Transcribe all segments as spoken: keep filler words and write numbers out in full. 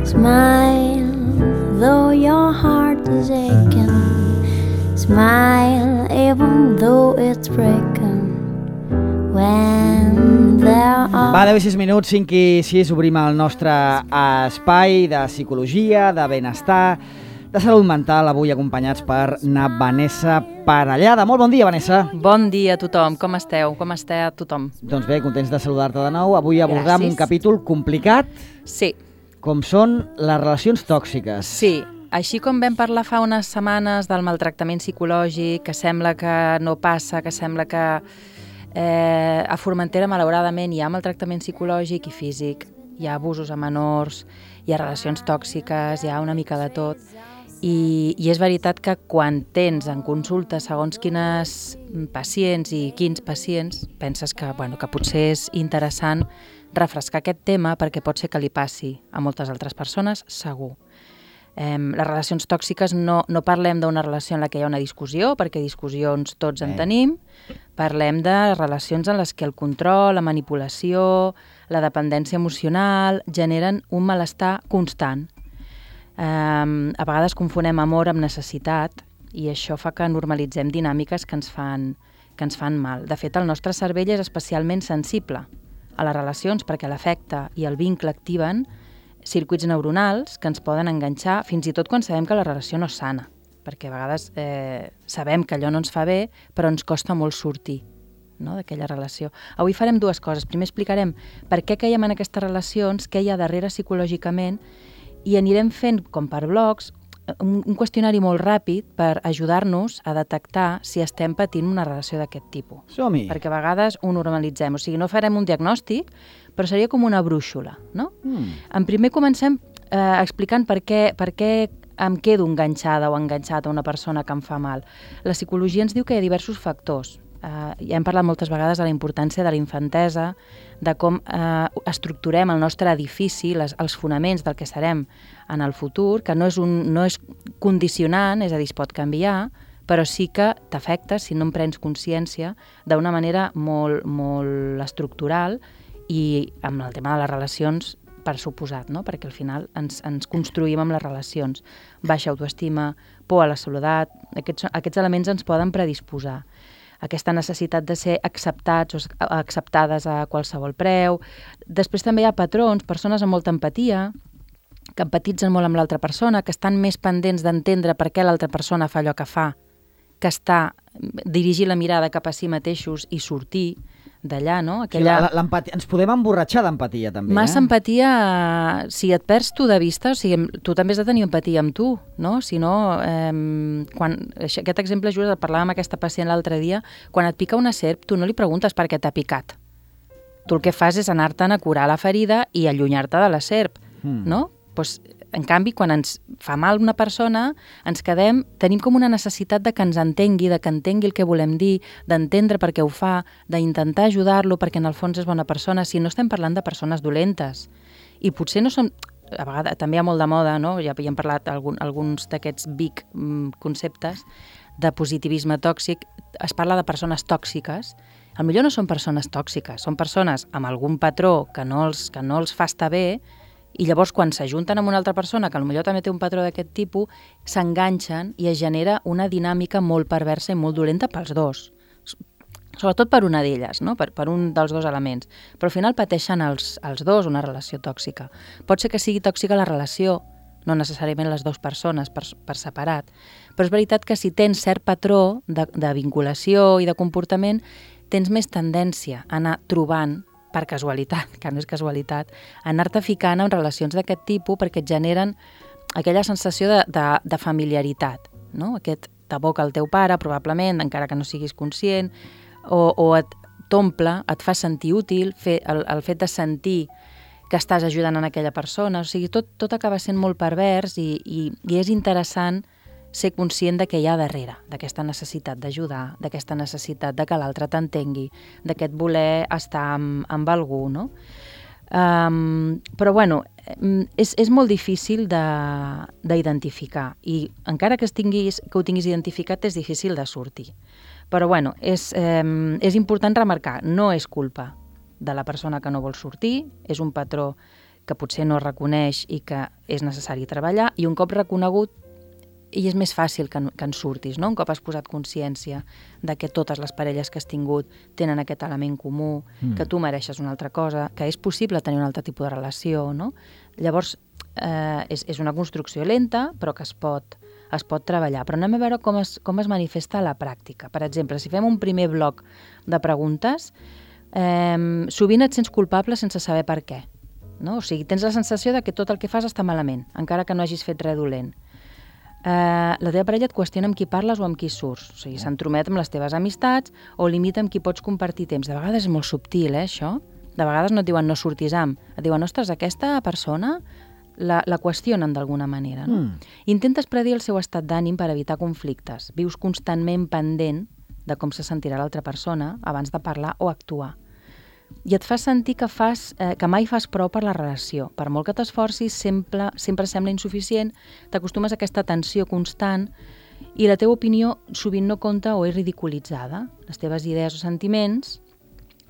Smile, though your heart is aching. Smile, even though it's breaking. When there are... Va, deu i sis minuts, cinc i sis, obrim el nostre espai de psicologia, de benestar, de salut mental, avui acompanyats per na Vanessa Parellada. Molt bon dia, Vanessa. Bon dia a tothom, com esteu? Com està tothom? Doncs bé, contents de saludar-te de nou. Avui abordam un capítol complicat, sí. com són les relacions tòxiques. Sí, així com vam parlar fa unes setmanes del maltractament psicològic, que sembla que no passa, que sembla que eh, a Formentera, malauradament, hi ha maltractament psicològic i físic, hi ha abusos a menors, hi ha relacions tòxiques, hi ha una mica de tot. I, i és veritat que quan tens en consulta segons quines pacients i quins pacients, penses que, bueno, que potser és interessant refrescar aquest tema perquè pot ser que li passi a moltes altres persones, segur. Eh, les relacions tòxiques no, no parlem d'una relació en la que hi ha una discussió, perquè discussions tots en tenim, parlem de relacions en les que el control, la manipulació, la dependència emocional generen un malestar constant. Eh, a vegades confonem amor amb necessitat i això fa que normalitzem dinàmiques que ens fan, que ens fan mal. De fet, el nostre cervell és especialment sensible a les relacions perquè l'afecte i el vincle activen circuits neuronals que ens poden enganxar fins i tot quan sabem que la relació no és sana, perquè a vegades eh, sabem que allò no ens fa bé, però ens costa molt sortir, no?, d'aquella relació. Avui farem dues coses. Primer explicarem per què caiem en aquestes relacions, què hi ha darrere psicològicament, i anirem fent, com per blocs, un, un qüestionari molt ràpid per ajudar-nos a detectar si estem patint una relació d'aquest tipus. Som-hi! Perquè a vegades ho normalitzem, o sigui, no farem un diagnòstic, però seria com una brúixola, no? Mm. En primer comencem eh, explicant per què, per què em quedo enganxada o enganxat a una persona que em fa mal. La psicologia ens diu que hi ha diversos factors. Eh, ja hem parlat moltes vegades de la importància de la infantesa, de com eh, estructurem el nostre edifici, les, els fonaments del que serem en el futur, que no és, un, no és condicionant, és a dir, es pot canviar, però sí que t'afecta si no en prens consciència d'una manera molt, molt estructural i amb el tema de les relacions, per suposat, no? Perquè al final ens, ens construïm amb les relacions. Baixa autoestima, por a la soledat, aquests, aquests elements ens poden predisposar. Aquesta necessitat de ser acceptats o acceptades a qualsevol preu. Després també hi ha patrons, persones amb molta empatia, que empatitzen molt amb l'altra persona, que estan més pendents d'entendre per què l'altra persona fa allò que fa, que està dirigir la mirada cap a si mateixos i sortir d'allà, no? Aquella... Sí, ens podem emborratxar d'empatia, també. Massa eh? empatia, si et perds tu de vista, o sigui, tu també has de tenir empatia amb tu, no? Si no, eh, quan, aquest exemple, just el parlàvem amb aquesta pacient l'altre dia, quan et pica una serp, tu no li preguntes per què t'ha picat. Tu el que fas és anar-te'n a curar la ferida i allunyar-te de la serp, mm. no? Pues, en canvi, quan ens fa mal una persona, ens quedem, tenim com una necessitat de que ens entengui, de que entengui el que volem dir, d'entendre per què ho fa, d'intentar ajudar-lo perquè en el fons és bona persona, si no estem parlant de persones dolentes. I potser no som... A vegades també hi ha molt de moda, no? Ja hem parlat algun, alguns d'aquests big mm, conceptes de positivisme tòxic. Es parla de persones tòxiques. Al millor no són persones tòxiques, són persones amb algun patró que no els, que no els fa estar bé. I llavors, quan s'ajunten amb una altra persona, que potser també té un patró d'aquest tipus, s'enganxen i es genera una dinàmica molt perversa i molt dolenta pels dos. Sobretot per una d'elles, no? per, per un dels dos elements. Però al final pateixen els, els dos una relació tòxica. Pot ser que sigui tòxica la relació, no necessàriament les dues persones per, per separat, però és veritat que si tens cert patró de, de vinculació i de comportament, tens més tendència a anar trobant per casualitat, que no és casualitat, anar-te ficant en relacions d'aquest tipus perquè et generen aquella sensació de, de, de familiaritat, no? Aquest t'aboca el teu pare, probablement, encara que no siguis conscient, o, o et t'omple, et fa sentir útil, fer, el, el fet de sentir que estàs ajudant en aquella persona, o sigui, tot, tot acaba sent molt pervers i, i, i és interessant ser conscient de què hi ha darrere, d'aquesta necessitat d'ajudar, d'aquesta necessitat de que l'altre t'entengui, d'aquest voler estar amb, amb algú, no? Um, però, bueno, és, és molt difícil d'identificar i encara que, tinguis, que ho tinguis identificat és difícil de sortir. Però, bueno, és, um, és important remarcar, no és culpa de la persona que no vol sortir, és un patró que potser no reconeix i que és necessari treballar, i un cop reconegut i és més fàcil que, que en surtis, no? Un cop has posat consciència de que totes les parelles que has tingut tenen aquest element comú, mm. que tu mereixes una altra cosa, que és possible tenir un altre tipus de relació, no? Llavors, eh, és, és una construcció lenta, però que es pot, es pot treballar. Però anem a veure com es, com es manifesta a la pràctica. Per exemple, si fem un primer bloc de preguntes, eh, sovint et sents culpable sense saber per què. No? O sigui, tens la sensació de que tot el que fas està malament, encara que no hagis fet res dolent. Uh, la teva parella et qüestiona amb qui parles o amb qui surts. O sigui, s'entromet amb les teves amistats o limita amb qui pots compartir temps. De vegades és molt subtil, eh, això? De vegades no et diuen no surtis amb. Et diuen, ostres, aquesta persona la, la qüestionen d'alguna manera. No? Mm. Intentes predir el seu estat d'ànim per evitar conflictes. Vius constantment pendent de com se sentirà l'altra persona abans de parlar o actuar. I et fas sentir que, fas, eh, que mai fas prou per la relació. Per molt que t'esforcis, sempre, sempre sembla insuficient, t'acostumes a aquesta tensió constant i la teva opinió sovint no compta o és ridiculitzada. Les teves idees o sentiments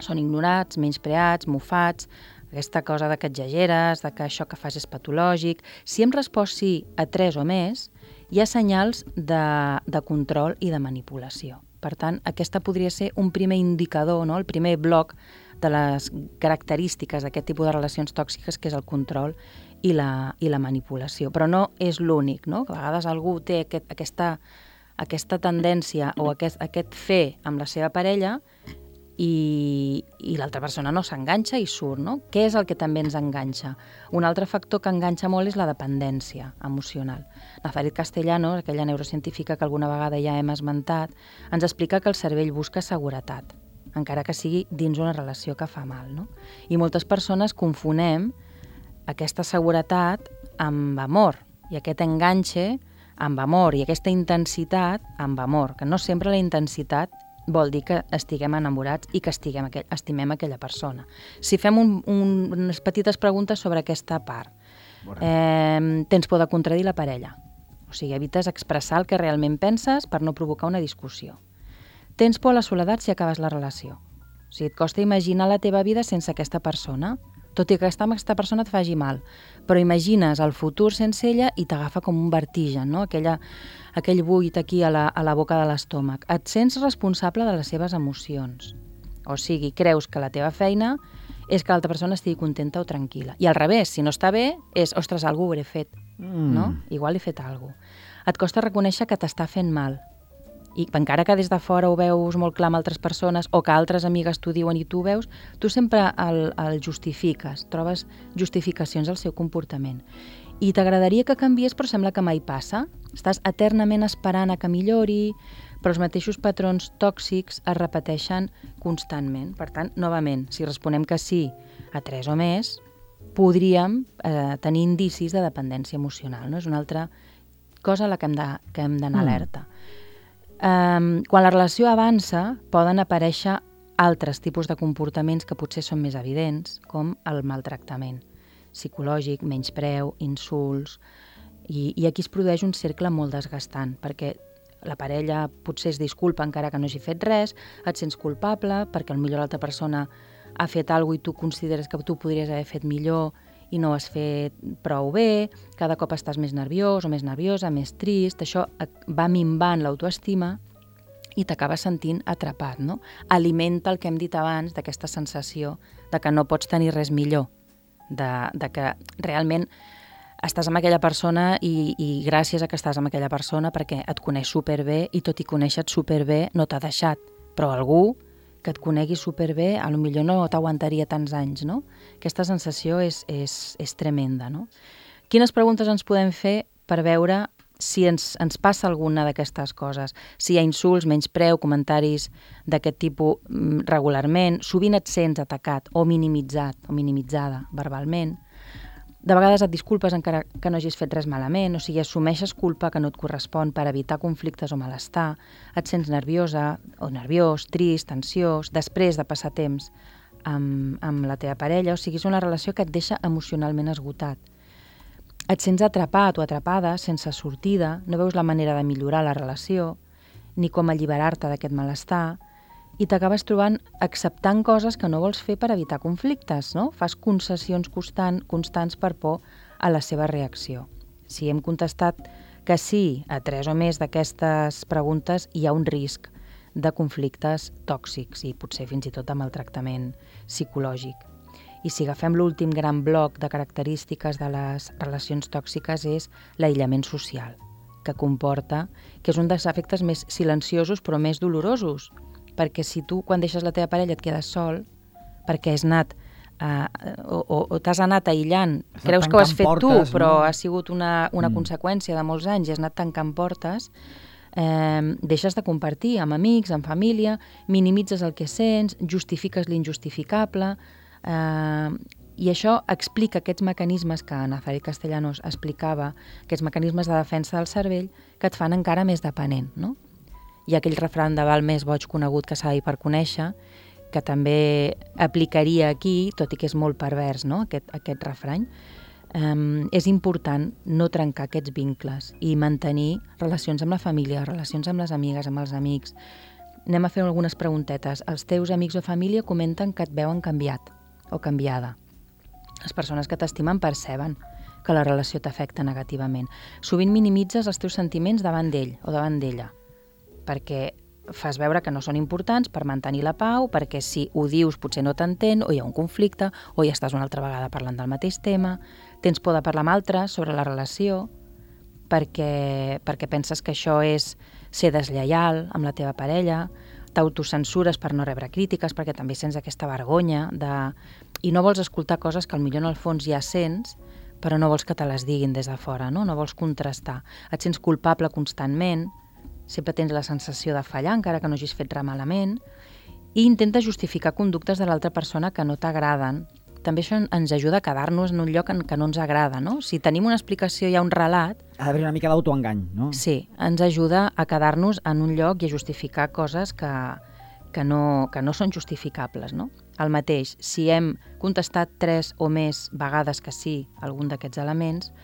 són ignorats, menyspreats, mofats, aquesta cosa de que exageres, de que això que fas és patològic. Si hem respost sí a tres o més, hi ha senyals de, de control i de manipulació. Per tant, aquesta podria ser un primer indicador, no? El primer bloc de les característiques d'aquest tipus de relacions tòxiques, que és el control i la, i la manipulació. Però no és l'únic, no? A vegades algú té aquest, aquesta, aquesta tendència o aquest, aquest fer amb la seva parella i, i l'altra persona no s'enganxa i surt, no? Què és el que també ens enganxa? Un altre factor que enganxa molt és la dependència emocional. Nazaret Castellano, aquella neurocientífica que alguna vegada ja hem esmentat, ens explica que el cervell busca seguretat, encara que sigui dins una relació que fa mal, no? I moltes persones confonem aquesta seguretat amb amor, i aquest enganxe amb amor, i aquesta intensitat amb amor, que no sempre la intensitat vol dir que estiguem enamorats i que estiguem, estimem aquella persona. Si fem un, un, unes petites preguntes sobre aquesta part, eh, tens por de contradir la parella, o sigui, evites expressar el que realment penses per no provocar una discussió. Tens por a la soledat si acabes la relació. O sigui, et costa imaginar la teva vida sense aquesta persona, tot i que aquesta, aquesta persona et faci mal. Però imagines el futur sense ella i t'agafa com un vertigen, no? Aquella, aquell buit aquí a la, a la boca de l'estómac. Et sents responsable de les seves emocions. O sigui, creus que la teva feina és que l'altra persona estigui contenta o tranquil·la. I al revés, si no està bé, és, ostres, algú ho hauré fet, mm. no? Igual he fet alguna cosa. Et costa reconèixer que t'està fent mal. I encara que des de fora ho veus molt clar amb altres persones o que altres amigues t'ho diuen i tu ho veus, tu sempre el, el justifiques, trobes justificacions al seu comportament. I t'agradaria que canviés, però sembla que mai passa. Estàs eternament esperant a que millori, però els mateixos patrons tòxics es repeteixen constantment. Per tant, novament, si responem que sí a tres o més, podríem eh, tenir indicis de dependència emocional, no? És una altra cosa a la que hem de, que hem d'anar mm. alerta. Um, quan la relació avança, poden aparèixer altres tipus de comportaments que potser són més evidents, com el maltractament psicològic, menyspreu, insults, i, i aquí es produeix un cercle molt desgastant, perquè la parella potser es disculpa encara que no hagi fet res, et sents culpable perquè potser l'altra persona ha fet alguna cosa i tu consideres que tu podries haver fet millor i no ho has fet prou bé, cada cop estàs més nerviós o més nerviosa, més trist, això va minvant l'autoestima i t'acabes sentint atrapat, no? Alimenta el que hem dit abans d'aquesta sensació de que no pots tenir res millor, de, de que realment estàs amb aquella persona i, i gràcies a que estàs amb aquella persona perquè et coneix superbé i tot i conèixer-te superbé no t'ha deixat, però algú que et conegui superbé, a lo millor no t'aguantaria tants anys, no? Aquesta sensació és, és, és tremenda, no? Quines preguntes ens podem fer per veure si ens, ens passa alguna d'aquestes coses? Si hi ha insults, menyspreu, comentaris d'aquest tipus regularment, sovint et sents atacat o minimitzat o minimitzada verbalment. De vegades et disculpes encara que no hagis fet res malament, o sigui, assumeixes culpa que no et correspon per evitar conflictes o malestar, et sents nerviosa o nerviós, trist, ansiós, després de passar temps amb, amb la teva parella, o sigui, és una relació que et deixa emocionalment esgotat. Et sents atrapat o atrapada, sense sortida, no veus la manera de millorar la relació, ni com alliberar-te d'aquest malestar, i t'acabes trobant acceptant coses que no vols fer per evitar conflictes, no? Fas concessions constant, constants per por a la seva reacció. Si hem contestat que sí a tres o més d'aquestes preguntes, hi ha un risc de conflictes tòxics i potser fins i tot de maltractament psicològic. I si agafem l'últim gran bloc de característiques de les relacions tòxiques és l'aïllament social, que comporta, que és un dels efectes més silenciosos però més dolorosos, perquè si tu quan deixes la teva parella et quedes sol, perquè has anat uh, o, o, o t'has anat aïllant, creus que ho has fet portes, tu, però no? Ha sigut una, una mm. conseqüència de molts anys i has anat tancant portes, eh, deixes de compartir amb amics, amb família, minimitzes el que sents, justifiques l'injustificable, eh, i això explica aquests mecanismes que Nazaret Castellanos explicava, aquests mecanismes de defensa del cervell que et fan encara més dependent, no? Hi ha aquell refrany de val més boig conegut que savi per conèixer, que també aplicaria aquí, tot i que és molt pervers, no? aquest, aquest refrany. Um, és important no trencar aquests vincles i mantenir relacions amb la família, relacions amb les amigues, amb els amics. Anem a fer algunes preguntetes. Els teus amics o família comenten que et veuen canviat o canviada. Les persones que t'estimen perceben que la relació t'afecta negativament. Sovint minimitzes els teus sentiments davant d'ell o davant d'ella, perquè fas veure que no són importants per mantenir la pau, perquè si ho dius potser no t'entén, o hi ha un conflicte, o ja estàs una altra vegada parlant del mateix tema, tens por de parlar amb altres sobre la relació, perquè, perquè penses que això és ser deslleial amb la teva parella, t'autocensures per no rebre crítiques, perquè també sents aquesta vergonya de... i no vols escoltar coses que potser en el fons ja sents, però no vols que te les diguin des de fora, no? No vols contrastar. Et sents culpable constantment, sempre tens la sensació de fallar, encara que no hagis fet res malament, i intentes justificar conductes de l'altra persona que no t'agraden. També això ens ajuda a quedar-nos en un lloc en que no ens agrada, no? Si tenim una explicació, hi ha un relat... Ha d'haver una mica d'autoengany, no? Sí, ens ajuda a quedar-nos en un lloc i a justificar coses que, que, no, que no són justificables, no? El mateix, si hem contestat tres o més vegades que sí a algun d'aquests elements,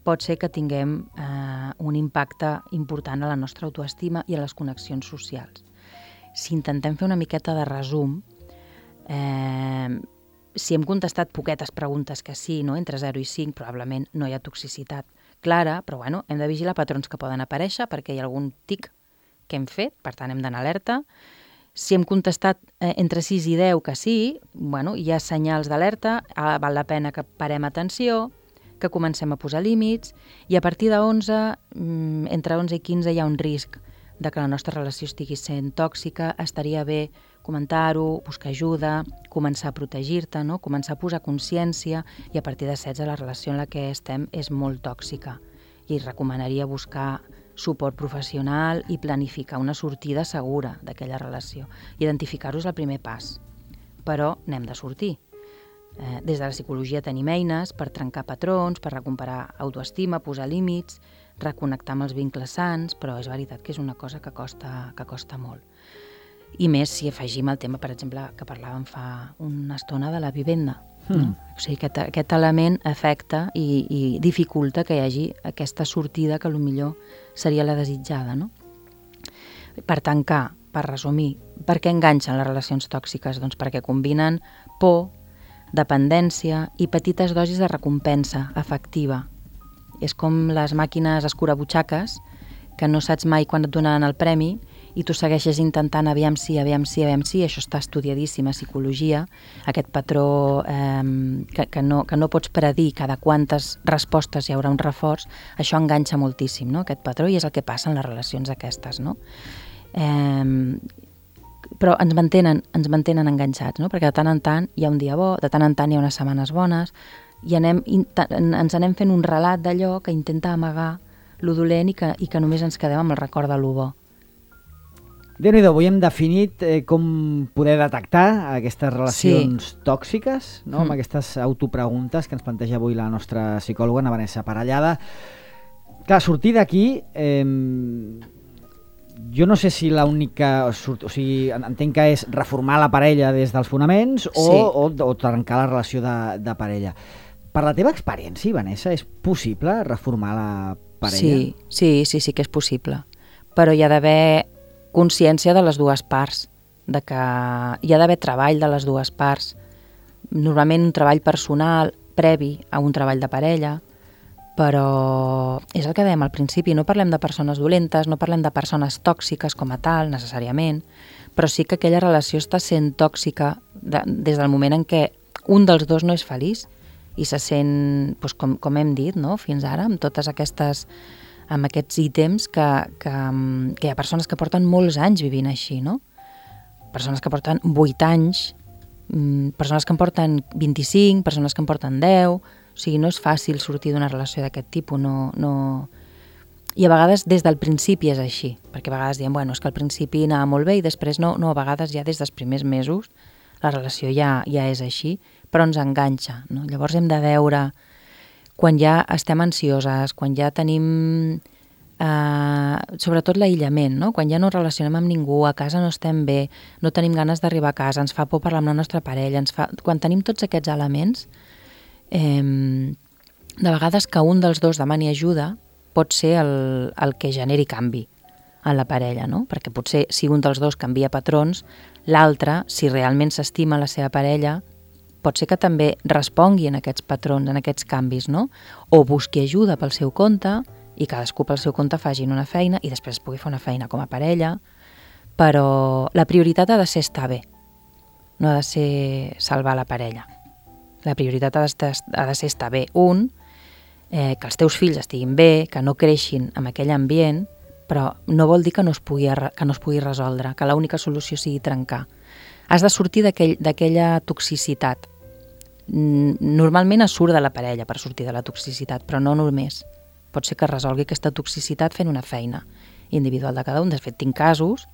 pot ser que tinguem eh, un impacte important a la nostra autoestima i a les connexions socials. Si intentem fer una miqueta de resum, eh, si hem contestat poquetes preguntes que sí, no? Entre zero i cinc, probablement no hi ha toxicitat clara, però bueno, hem de vigilar patrons que poden aparèixer perquè hi ha algun tic que hem fet, per tant hem d'anar alerta. Si hem contestat eh, entre sis i deu que sí, bueno, hi ha senyals d'alerta, eh, val la pena que parem atenció, que comencem a posar límits, i a partir de onze, entre onze i quinze hi ha un risc de que la nostra relació estigui sent tòxica, estaria bé comentar-ho, buscar ajuda, començar a protegir-te, no? Començar a posar consciència, i a partir de setze la relació en la que estem és molt tòxica i recomanaria buscar suport professional i planificar una sortida segura d'aquella relació. Identificar-ho és el primer pas, però n'hem de sortir. Eh, des de la psicologia tenim eines per trencar patrons, per recuperar autoestima, posar límits, reconnectar amb els vincles sants, però és veritat que és una cosa que costa, que costa molt. I més si afegim el tema, per exemple, que parlàvem fa una estona de la vivenda. Mm. No? O sigui, aquest, aquest element afecta i, i dificulta que hi hagi aquesta sortida que potser seria la desitjada, no? Per tancar, per resumir, per què enganxen les relacions tòxiques? Doncs perquè combinen por, dependència i petites dosis de recompensa afectiva. És com les màquines escurabutxaques, que no saps mai quan et donaran el premi i tu segueixes intentant aviam sí, aviam sí, aviam sí, això està estudiadíssim a psicologia, aquest patró eh, que, que, no, que no pots predir cada quantes respostes hi haurà un reforç, això enganxa moltíssim, no? Aquest patró, i és el que passa en les relacions aquestes, no? Eh, però ens mantenen, ens mantenen enganxats, no? Perquè de tant en tant hi ha un dia bo, de tant en tant hi ha unes setmanes bones, i anem, ens anem fent un relat d'allò que intenta amagar lo dolent i que, i que només ens quedem amb el record de lo bo. Déu-n'hi-do, avui hem definit eh, com poder detectar aquestes relacions sí. tòxiques, no? Mm. Amb aquestes autopreguntes que ens planteja avui la nostra psicòloga, Ana Vanessa Parellada. Clar, sortir d'aquí... Eh, jo no sé si l'única... O sigui, entenc que és reformar la parella des dels fonaments o, sí. o, o trencar la relació de, de parella. Per la teva experiència, Vanessa, és possible reformar la parella? Sí, sí, sí, sí que és possible. Però hi ha d'haver consciència de les dues parts. de que hi ha d'haver treball de les dues parts, normalment un treball personal previ a un treball de parella, però és el que dèiem al principi, no parlem de persones dolentes, no parlem de persones tòxiques com a tal, necessàriament, però sí que aquella relació està sent tòxica de, des del moment en què un dels dos no és feliç i se sent, doncs, com, com hem dit, no? Fins ara, amb totes aquestes, amb aquests ítems que, que, que hi ha persones que porten molts anys vivint així, no? Persones que porten vuit anys, persones que en porten vint-i-cinc, persones que en porten deu, o sigui, no és fàcil sortir d'una relació d'aquest tipus, no, no... I a vegades des del principi és així, perquè a vegades diem, bueno, és que al principi anava molt bé i després no, no, a vegades ja des dels primers mesos la relació ja, ja és així, però ens enganxa, no? Llavors hem de veure, quan ja estem ansioses, quan ja tenim, eh, sobretot l'aïllament, no? Quan ja no relacionem amb ningú, a casa no estem bé, no tenim ganes d'arribar a casa, ens fa por parlar amb la nostra parella, ens fa... quan tenim tots aquests elements, eh, de vegades que un dels dos demani ajuda pot ser el, el que generi canvi en la parella, no? Perquè potser si un dels dos canvia patrons, l'altre, si realment s'estima la seva parella, pot ser que també respongui en aquests patrons, en aquests canvis, no? O busqui ajuda pel seu compte i cadascú pel seu compte facin una feina i després pugui fer una feina com a parella, però la prioritat ha de ser estar bé, no ha de ser salvar la parella. La prioritat ha de, estar, ha de ser estar bé un, eh, que els teus fills estiguin bé, que no creixin en aquell ambient, però no vol dir que no es pugui, que no es pugui resoldre, que l'única solució sigui trencar. Has de sortir d'aquell, d'aquella toxicitat. Normalment es surt de la parella per sortir de la toxicitat, però no només. Pot ser que resolgui aquesta toxicitat fent una feina individual de cada un. De fet, tinc casos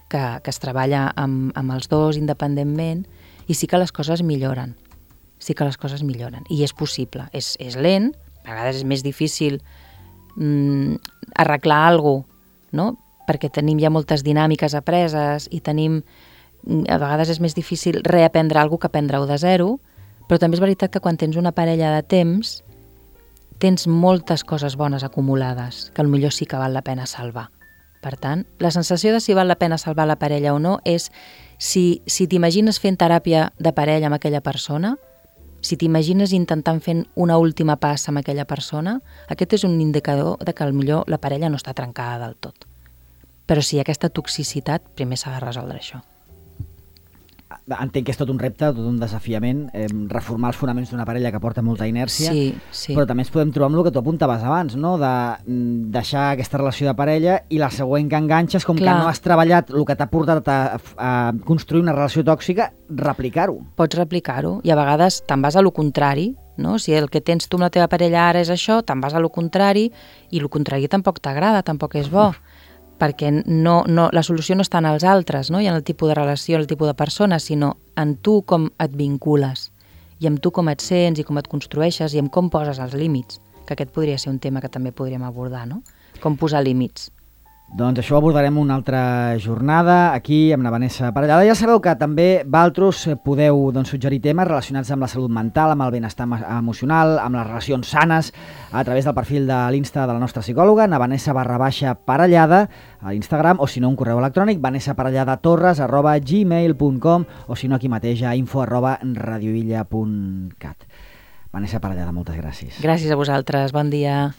que, que es treballa amb, amb els dos independentment i sí que les coses milloren. Sí que les coses milloren. I és possible. És, és lent, a vegades és més difícil mm, arreglar alguna cosa, no? Perquè tenim ja moltes dinàmiques apreses i tenim, a vegades és més difícil reaprendre alguna cosa que aprendre-ho de zero, però també és veritat que quan tens una parella de temps tens moltes coses bones acumulades que potser sí que val la pena salvar. Per tant, la sensació de si val la pena salvar la parella o no és si, si t'imagines fent teràpia de parella amb aquella persona, si t'imagines intentant fent una última passa amb aquella persona, aquest és un indicador de que potser la parella no està trencada del tot. Però si hi ha aquesta toxicitat, primer s'ha de resoldre això. Entenc que és tot un repte, tot un desafiament, eh, reformar els fonaments d'una parella que porta molta inèrcia, sí, sí. Però també ens podem trobar amb el que tu apuntaves abans, no? De deixar aquesta relació de parella i la següent que enganxes, com Clar. Que no has treballat el que t'ha portat a, a construir una relació tòxica, replicar-ho. Pots replicar-ho i a vegades te'n vas a lo contrari, no? Si el que tens tu amb la teva parella ara és això, te'n vas a lo contrari i lo contrari tampoc t'agrada, tampoc és bo. Perquè no, no, la solució no està en els altres, no? I en el tipus de relació, el tipus de persona, sinó en tu com et vincules, i amb tu com et sents i com et construeixes i amb com poses els límits, que aquest podria ser un tema que també podríem abordar, no? Com posar límits. Doncs això ho abordarem una altra jornada aquí amb la Vanessa Parellada. Ja sabeu que també vosaltres podeu doncs, suggerir temes relacionats amb la salut mental, amb el benestar emocional, amb les relacions sanes, a través del perfil de l'Insta de la nostra psicòloga, na Vanessa barra baixa Parellada, a l'Instagram, o si no un correu electrònic, vanessaparalladattorres arroba gmail punt com, o si no aquí mateix a info arroba radioilla punt cat. Vanessa Parellada, moltes gràcies. Gràcies a vosaltres, bon dia.